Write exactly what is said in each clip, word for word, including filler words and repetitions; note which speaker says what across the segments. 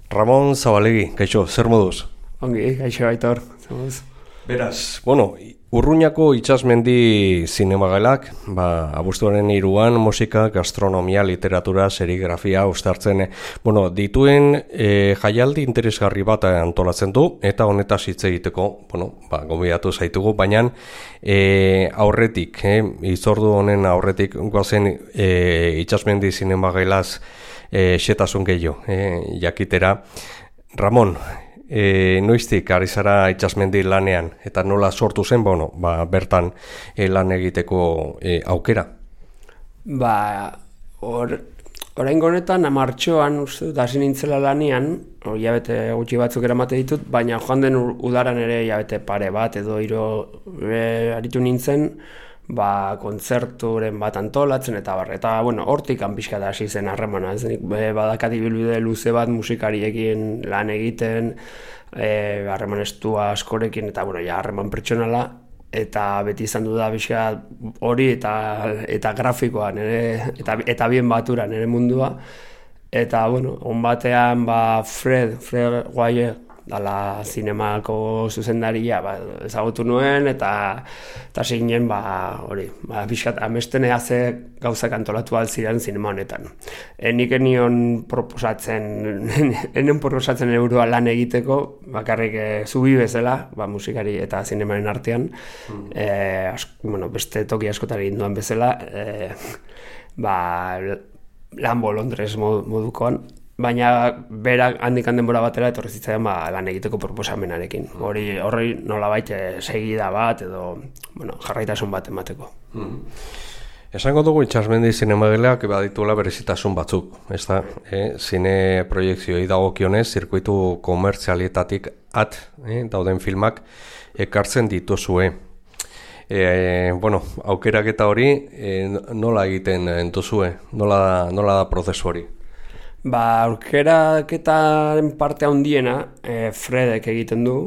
Speaker 1: Ramon Zabalegi, kaixo, zer moduz?
Speaker 2: Ongi, kaixo Aitor, zer moduz?
Speaker 1: Beraz, bueno, Urruñako Itsasmendi zinemagelak, ba, abuztuaren hiruan musika, gastronomia, literatura, serigrafia uztartzen, bueno, dituen e, jaialdi interesgarri bat antolatzen du, eta honetaz hitz egiteko, bueno, ba, gonbidatu zaitugu, baina e, aurretik, eh, itzordu honen aurretik goazen e, Itsasmendi zinemagelaz e, xetasun gehiago, e, jakitera. Ramon, E, noiztik ari zara Itsasmendi lanean eta nola sortu zen, bueno, ba, bertan e, lan egiteko e, aukera?
Speaker 2: Ba, or, orain honetan martxoan uste dut hasi nintzela lanean, hilabete gutxi batzuk eramate ditut, baina joan den udaran ere hilabete pare bat edo hiru e, aritu nintzen, ba, kontzerturen bat antolatzen eta bar, eta bueno, hortik pixka da hasi zen harremana, ez nik badakat ibilbide luze bat musikariekin lan egiten, eh harreman estua askorekin eta bueno, ja harreman pertsonala eta beti izan du da pixka hori eta eta grafikoa nere eta eta bien batura nere mundua eta bueno, on batean ba Fred Fred Guaye dala zinemako zuzendaria ba, ezagutu nuen eta eta zinen ba hori ba pixkat amesten ze gauzak antolatu alziren zinema honetan. E, nik enion proposatzen enen proposatzen eurua lan egiteko bakarrik e, zubi bezala ba musikari eta zinemaren artean mm. e, asko, bueno, beste toki askotari induan bezala e, ba Lambo Londres modukoan. Baina berak handik denbora batera etorri zitzaidan ba, lan egiteko proposamenarekin. Hori horri nolabait segida bat edo bueno, jarraitasun bat emateko.
Speaker 1: Mm. Esango dugu Itsasmendi zinemageleak badituela berezitasun batzuk, ezta? Eh, zine proiekzioi dagokionez, zirkuitu komertzialietatik at eh, dauden filmak ekartzen dituzue. E, bueno, aukerak eta hori e, nola egiten entuzue? Nola, nola da prozesu hori?
Speaker 2: Ba, aukeraketaren parte handiena e, Fredek egiten du.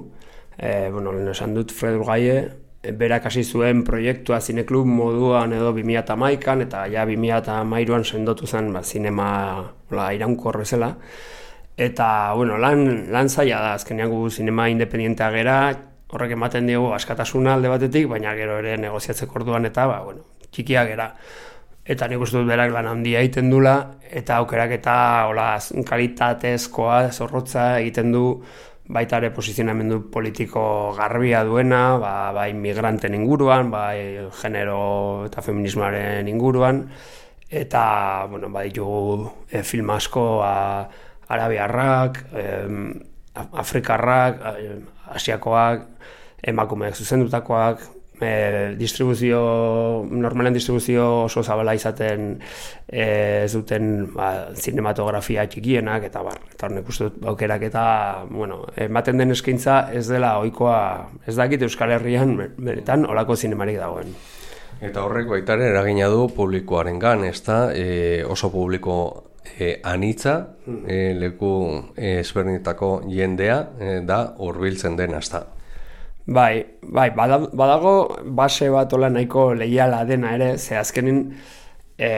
Speaker 2: E, bueno, lehen esan dut Fred Guaye, e, berak hasi zuen proiektua zineklub moduan edo bi mila hamaikan eta ja bi mila hamairuan sendotu zen ba, zinema hola, iraunkor bezala. Eta, bueno, lan, lan zaila da, azkenean gu zinema independientea gera, horrek ematen digu askatasuna alde batetik, baina gero ere negoziatzeko orduan eta, ba, bueno, txikia gera. Eta nik uste dut berak lan handia egiten dula, eta aukerak eta hola, kalitatezkoa, zorrotza egiten du, baita ere posizionamendu politiko garbia duena, ba, bai migranten inguruan, bai genero eta feminismoaren inguruan, eta, bueno, bai ditugu e, film asko a, arabiarrak, e, afrikarrak, e, asiakoak, emakumeak zuzendutakoak, E, distribuzio, normalen distribuzio oso zabala izaten e, ez duten ba, zinematografia txikienak eta bar, eta hornek uste dut aukerak eta bueno, ematen den eskaintza ez dela ohikoa, ez dakit Euskal Herrian benetan olako zinemarik dagoen.
Speaker 1: Eta horrek baitaren eragina du publikoarengan, ezta? E, oso publiko e, anitza, e, leku e, ezberdinetako jendea e, da hurbiltzen den, ezta?
Speaker 2: Bai, bai, badago base bat ola nahiko leiala dena ere, ze azkenin e,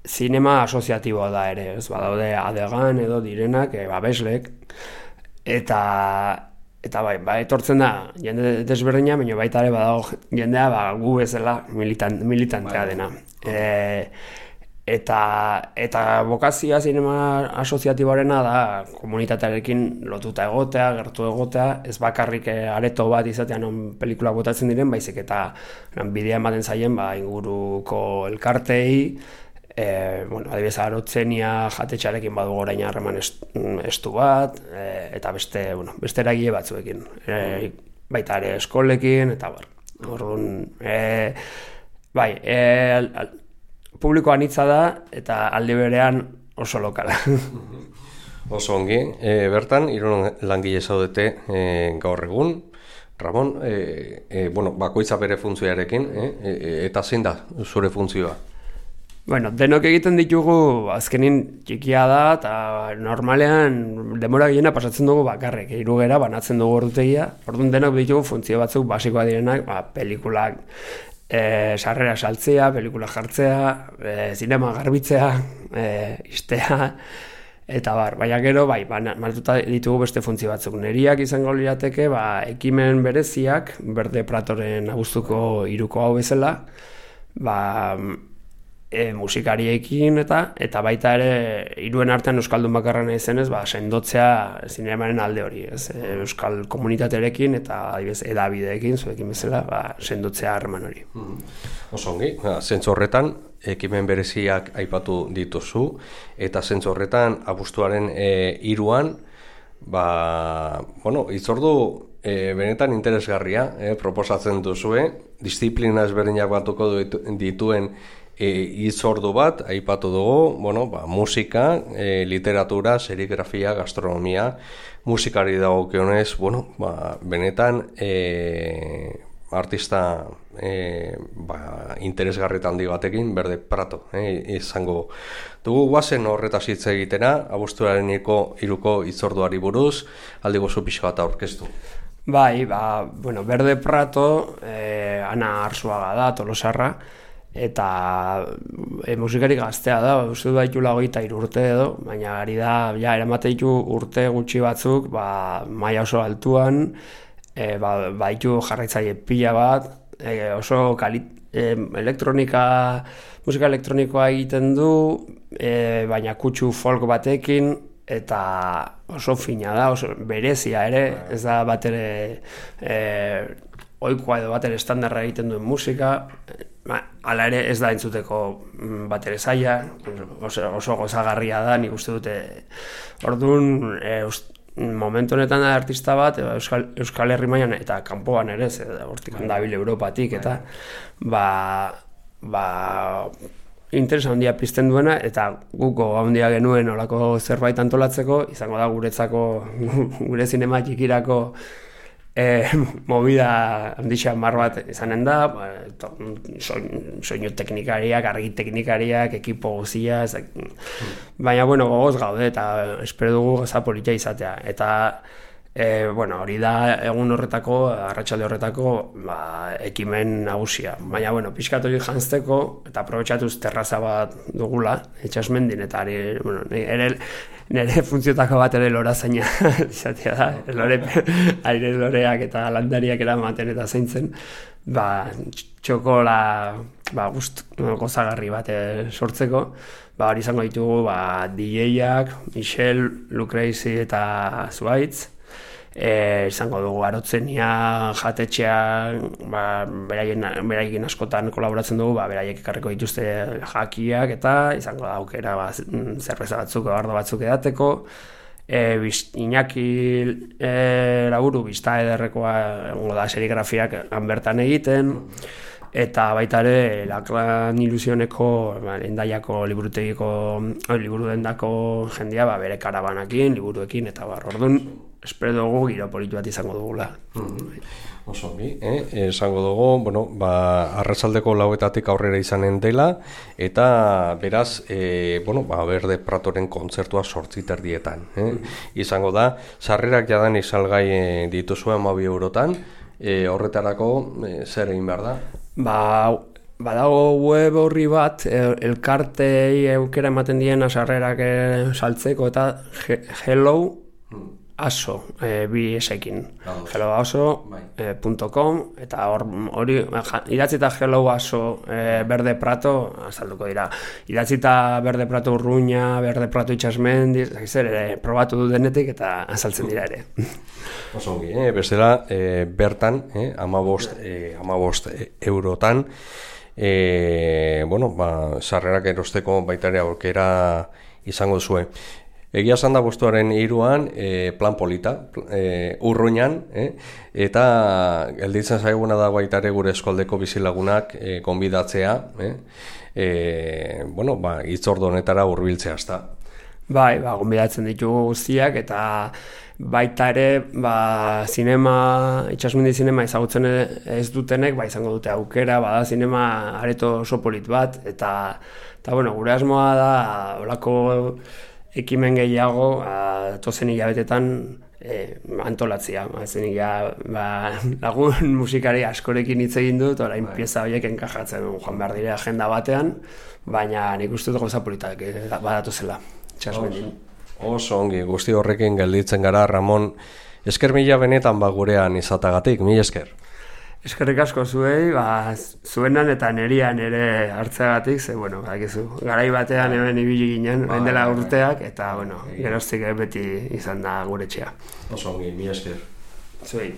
Speaker 2: zinema asoziatiboa da ere, ez badaude adegan edo direnak, e, babeslek, eta eta bai, ba, etortzen da jende desberdina, baina baita ere badago jendea ba, gu bezala militan, militantea dena. E, Eta, eta bokazioa zinema asoziatiboarena da komunitatearekin lotuta egotea, gertu egotea, ez bakarrik areto bat izatean on pelikula botatzen diren, baizik eta bidea ematen zaien ba, inguruko elkartei, e, bueno, adibidez Arotzenia jatetxarekin badu orain harreman estu bat, e, eta beste, bueno, beste eragile batzuekin, e, baita ere eskolekin, eta bar. Orduan, e, bai, e, publiko anitza da eta aldi berean oso lokala.
Speaker 1: Oso ongi, e, bertan, hiru langile zaudete e, gaur egun. Ramon, e, e, bueno, bakoitza bere funtzioarekin, e, e, eta zein da zure funtzioa?
Speaker 2: Bueno, denok egiten ditugu azkenin txikia da, eta normalean denbora gehiena pasatzen dugu bakarrik, hirugera banatzen dugu ordutegia, orduan denok ditugu funtzio batzuk basikoa direnak, ba, pelikulak e, sarrera saltzea, pelikula jartzea, e, zinema garbitzea, e, istea, eta bar, baina gero, bai, martuta ditugu beste funtzio batzuk. Neriak izango lirateke, ba, ekimen bereziak, Berde Pratoren abuztuko hiruko hau bezala, ba, e, musikariekin eta eta baita ere hiruen artean euskaldun bakarra nahi zenez, ba, sendotzea zinemaren alde hori, ez? E, euskal komunitatearekin eta adibidez edabideekin, zuekin bezala, ba, sendotzea harreman hori.
Speaker 1: Mm-hmm. Oso ongi, zentzu horretan, ekimen bereziak aipatu dituzu, eta zentzu horretan abuztuaren e, hiruan, ba, bueno, itzordu e, benetan interesgarria, e, proposatzen duzue, disiplina ezberdinak batuko dituen E, itzordu bat, aipatu dugu, bueno, ba, musika, e, literatura, serigrafia, gastronomia, musikari dagokionez, bueno, ba, benetan e, artista e, ba, interesgarritan handi batekin, Berde Prato, e, izango dugu. Guazen horretaz hitz egitera, abuztuaren hiruko itzorduari buruz, aldi gozu pixka bat aurkeztu.
Speaker 2: Bai, ba, bueno, Berde Prato, e, Ana Arzuaga da, Tolosarra, eta e, musikari gaztea da, uste du baitula hogeita hiru urte edo, baina ari da, ja, eramateitu urte gutxi batzuk, ba, maila oso altuan, e, ba, baitu jarraitzaile pila bat, e, oso kalit, e, elektronika, musika elektronikoa egiten du, e, baina kutsu folk batekin, eta oso fina da, oso berezia ere, ez da bat ere e, ohikoa edo bat ere estandarra egiten duen musika, hala ere ez da entzuteko bat ere zaila, oso, oso gozagarria da, nik uste dute. Orduan, e, momentu honetan da artista bat, Euskal, Euskal Herri mailan eta kanpoan ere, hortik handabil Europatik, eta ba, ba, interes handia pizten duena, eta guko handia genuen olako zerbait antolatzeko, izango da guretzako, gure zinema txikirako E, movida handixan mar bat izanen da, ba, soinu, soinu teknikariak, argi teknikariak, ekipo guzia, ezak, baina bueno, gogoz gaude eta espero dugu goza politia izatea. Eta e, bueno, hori da egun horretako, arratsalde horretako ba, ekimen nagusia. Baina bueno, pixkat hori janzteko eta aprobetxatuz terraza bat dugula, Itsasmendin, eta ari, bueno, ere nire funtziotako bat ere lorazaina izatea da, lore, aire loreak eta landariak eramaten eta zaintzen, ba, txokola ba, gust, gozagarri bat sortzeko, ba, hori izango ditugu ba, D J-ak, Michel, Lucrezi eta Zuaitz, e, izango dugu Arotzenia, Jatetxea, ba, beraien, beraien askotan kolaboratzen dugu, ba, beraiek ekarriko dituzte jakiak eta izango da aukera ba, zerbeza batzuk, bardo batzuk edateko. E, biz, Iñaki e, Laburu, bizta ederrekoa egongo da serigrafiak bertan egiten, eta baita ere Laklan Ilusioneko, ba, Endaiako liburutegiko, liburu dendako jendea ba, bere karabanakin, liburuekin, eta bar, orduan, espero dugu giro politu bat izango dugula.
Speaker 1: Mm-hmm. Oso ongi, eh? Esango dugu, bueno, ba, arratsaldeko lauetatik aurrera izanen dela, eta beraz, e, bueno, ba, Berde Pratoren kontzertua zortzi terdietan. Eh? Mm-hmm. Izango da, sarrerak jadan izalgai e, dituzue hamabi eurotan, e, horretarako e, zer egin behar da?
Speaker 2: Ba, badago web horri bat, elkartei eukera ematen diena sarrerak saltzeko, eta hello, aso, e, bi esekin, hello aso punto com, eta hori, idatzita hello aso e, Berde Prato, azalduko dira, idatzita Berde Prato Urruña, Berde Prato Itsasmendi, zer ere, probatu du denetik eta azaltzen dira ere.
Speaker 1: Oso ongi, eh? Bestela, e, bertan, eh? amabost, e, amabost eurotan, e, bueno, ba, sarrerak erosteko baita ere aurkera izango zuen. Egia esan da abuztuaren hiruan e, plan polita, e, Urruñan, e, eta gelditzen zaiguna da baita ere gure eskoldeko bizilagunak e, konbidatzea, e, e, bueno, ba, hitzordu honetara hurbiltzea ezta.
Speaker 2: Bai, ba, konbidatzen ditugu guztiak, eta baita ere, ba, zinema, Itsasmendi zinema ezagutzen ez dutenek, ba, izango dute aukera, bada zinema areto oso polit bat, eta, eta bueno, gure asmoa da, olako ekimen gehiago, tozen hilabetetan e, antolatzea. Zenik ja, ba, lagun musikari askorekin hitz egin dut, orain pieza horiek enkajatzen joan behar dire agenda batean, baina nik uste dut gauza politak badatu zela, Itsasmendin.
Speaker 1: Oso ongi, guzti horrekin gelditzen gara, Ramon, esker mila benetan ba gurean izatagatik, mila esker.
Speaker 2: Eskerrik asko zuei, ba, zuenan eta nerian ere hartzeagatik, ze, bueno, bakizu, garai batean hemen ibili ginen, orain dela urteak, eta, bueno, geroztik beti izan da gure etxea.
Speaker 1: Oso ongi, mila esker.
Speaker 2: Zuei.